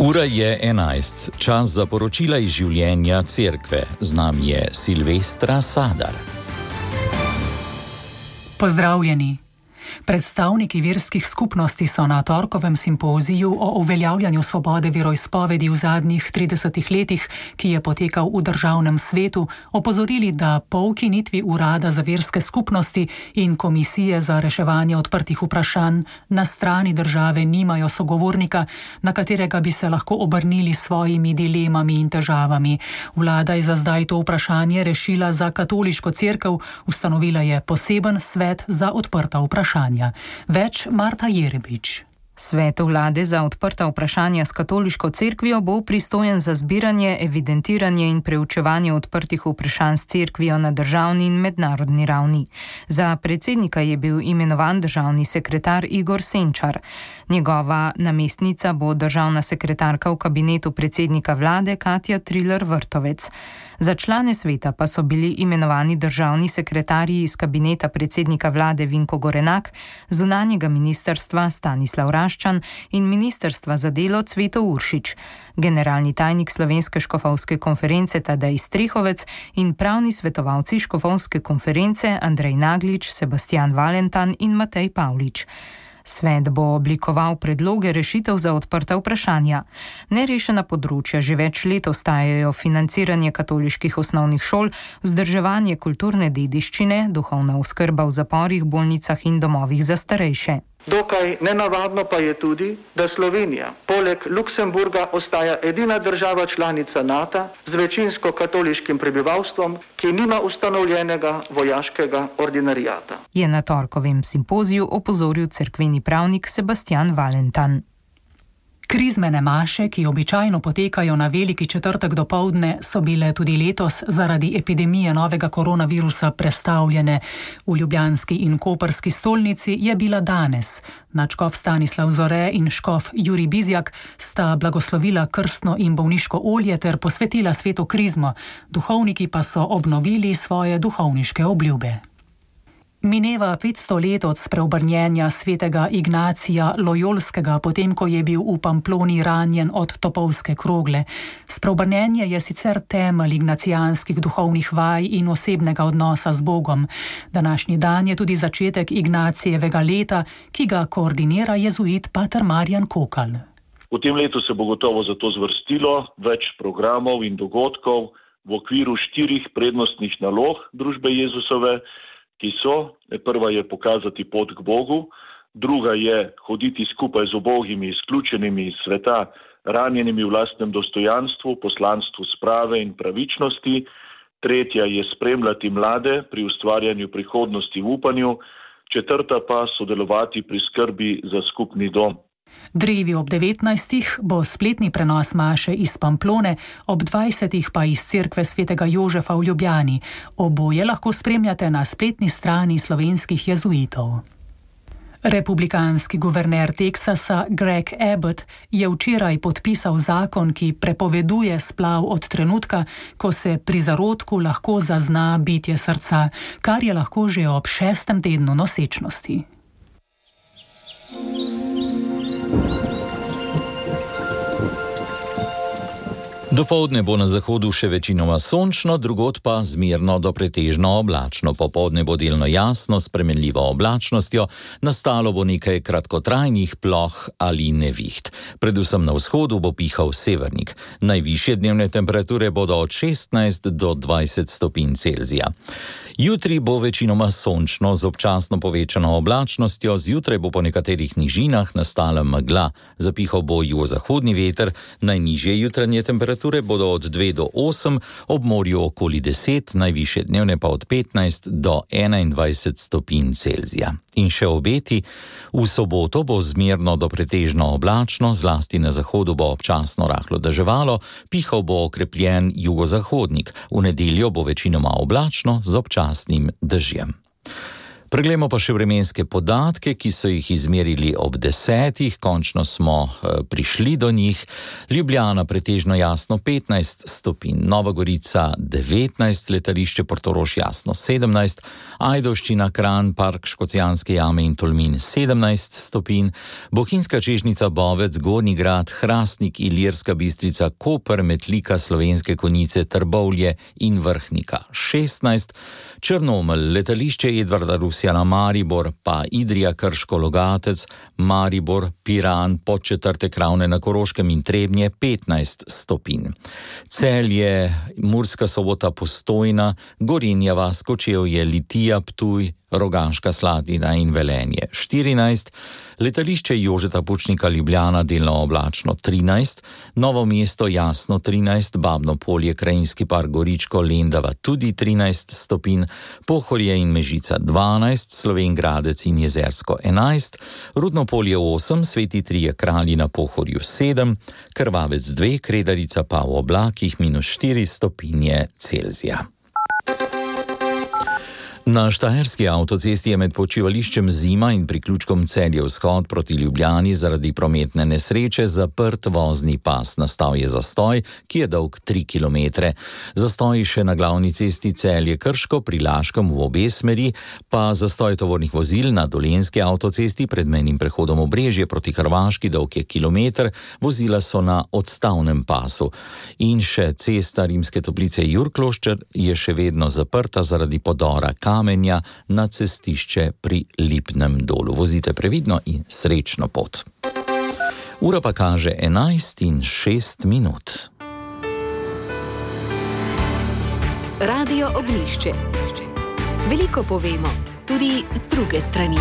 Ura je 11, čas za poročila iz življenja cerkve. Z nami je Silvestra Sadar. Pozdravljeni. Predstavniki verskih skupnosti so na torkovem simpoziju o uveljavljanju svobode veroizpovedi v zadnjih 30 letih, ki je potekal v državnem svetu, opozorili, da po ukinitvi Urada za verske skupnosti in Komisije za reševanje odprtih vprašanj na strani države nimajo sogovornika, na katerega bi se lahko obrnili s svojimi dilemami in težavami. Vlada je za zdaj to vprašanje rešila za katoliško cerkev, ustanovila je poseben svet za odprta vprašanja. Več Marta Jerebič. Svet vlade za odprta vprašanja s katoliško cerkvijo bo pristojen za zbiranje, evidentiranje in preučevanje odprtih vprašanj s cerkvijo na državni in mednarodni ravni. Za predsednika je bil imenovan državni sekretar Igor Senčar. Njegova namestnica bo državna sekretarka v kabinetu predsednika vlade Katja Triler Vrtovec. Za člane sveta pa so bili imenovani državni sekretarji iz kabineta predsednika vlade Vinko Gorenak, zunanjega ministrstva Stanislav Raščan in ministrstva za delo Cveto Uršič, generalni tajnik Slovenske škofovske konference Tadej Strehovec in pravni svetovalci škofovske konference Andrej Naglič, Sebastian Valentan in Matej Pavlič. Svet bo oblikoval predloge rešitev za odprta vprašanja. Nerešena področja že več let ostajajo financiranje katoliških osnovnih šol, vzdrževanje kulturne dediščine, duhovna oskrba v zaporih, bolnicah in domovih za starejše. Dokaj nenavadno pa je tudi, da Slovenija poleg Luksemburga ostaja edina država članica NATO z večinsko katoliškim prebivalstvom, ki nima ustanovljenega vojaškega ordinarijata. Je na torkovem simpoziju opozoril cerkveni pravnik Sebastian Valentan. Krizmene maše, ki običajno potekajo na Veliki četrtek dopoldne, so bile tudi letos zaradi epidemije novega koronavirusa prestavljene. V ljubljanski in koprski stolnici je bila danes. Nadškof Stanislav Zore in škof Jurij Bizjak sta blagoslovila krstno in bolniško olje ter posvetila sveto krizmo. Duhovniki pa so obnovili svoje duhovniške obljube. Mineva 500 let od spreobrnjenja svetega Ignacija Lojolskega, potem ko je bil v Pamploni ranjen od topovske krogle. Spreobrnjenje je sicer temelj ignacijanskih duhovnih vaj in osebnega odnosa z Bogom. Današnji dan je tudi začetek Ignacijevega leta, ki ga koordinira jezuit pater Marjan Kokal. V tem letu se bo gotovo zato zvrstilo več programov in dogodkov v okviru 4 prednostnih nalog družbe Jezusove, ki so: prva je pokazati pot k Bogu, druga je hoditi skupaj z ubogimi, izključenimi iz sveta, ranjenimi v lastnem dostojanstvu, poslanstvu sprave in pravičnosti, tretja je spremljati mlade pri ustvarjanju prihodnosti v upanju, četrta pa sodelovati pri skrbi za skupni dom. Drevi ob 19. bo spletni prenos maše iz Pamplone, ob 20. pa iz cerkve svetega Jožefa v Ljubljani. Oboje lahko spremljate na spletni strani slovenskih jezuitov. Republikanski guverner Teksasa Greg Abbott je včeraj podpisal zakon, ki prepoveduje splav od trenutka, ko se pri zarodku lahko zazna bitje srca, kar je lahko že ob 6. tednu nosečnosti. Dopoldne bo na zahodu še večinoma sončno, drugod pa zmerno do pretežno oblačno. Popoldne bo delno jasno s spremenljivo oblačnostjo, nastalo bo nekaj kratkotrajnih ploh ali neviht. Predvsem na vzhodu bo pihal severnik. Najvišje dnevne temperature bodo od 16 do 20 stopinj Celzija. Jutri bo večinoma sončno z občasno povečano oblačnostjo, zjutraj bo po nekaterih nižinah nastala megla. Zapihal bo jugozahodni veter, najnižje jutranje temperature bodo od 2 do 8, ob morju okoli 10, najvišje dnevne pa od 15 do 21 stopinj Celzija. In še obeti: v soboto bo zmerno do pretežno oblačno, zlasti na zahodu bo občasno rahlo deževalo, pihal bo okrepljen jugozahodnik. V nedeljo bo večinoma oblačno z občasnim dežjem. Preglejmo pa še vremenske podatke, ki so jih izmerili ob 10. Končno smo prišli do njih. Ljubljana pretežno jasno 15 stopinj, Nova Gorica 19, letališče Portorož jasno 17, Ajdovščina, Kranj, Park Škocjanske jame in Tolmin 17 stopinj, Bohinjska Čežnica, Bovec, Gornji Grad, Hrastnik, Ilirska Bistrica, Koper, Metlika, Slovenske Konjice, Trbovlje in Vrhnika 16, Črnomelj, letališče Edvarda Rusjana, Maribor, pa Idrija, Krško, Logatec, Maribor, Piran, Podčetrtek, Ravne na Koroškem in Trebnje 15 stopinj. Celje, Murska Sobota, Postojna, Gorenja vas, Kočevje, Litija, Ptuj, Rogaška Slatina in Velenje 14, letališče Jožeta Pučnika, Ljubljana delno oblačno 13, Novo mesto jasno 13, Babno Polje, Krajinski park Goričko, Lendava tudi 13 stopinj, Pohorje in Mežica 12, Slovenj Gradec in Jezersko 11, Rudno Polje 8, Sveti Trije Kralji na Pohorju 7, Krvavec 2, Kredarica pa v oblakih -4 stopinje Celzija. Na štajerski avtocesti je med počivališčem Zima in priključkom Celje-Vzhod proti Ljubljani zaradi prometne nesreče zaprt vozni pas. Nastal je zastoj, ki je dolg 3 km. Zastoj še na glavni cesti Celje-Krško pri Laškem v obe smeri, pa zastoj tovornih vozil na dolenjski avtocesti pred mejnim prehodom Obrežje proti Hrvaški, dolg je kilometer, vozila so na odstavnem pasu. In še cesta Rimske Toplice Jurkloščer je še vedno zaprta zaradi podora kamenja na cestišče pri Lipnem dolu. Vozite previdno in srečno pot. Ura pa kaže 11:06. Radio Oglišče. Veliko povemo, tudi z druge strani.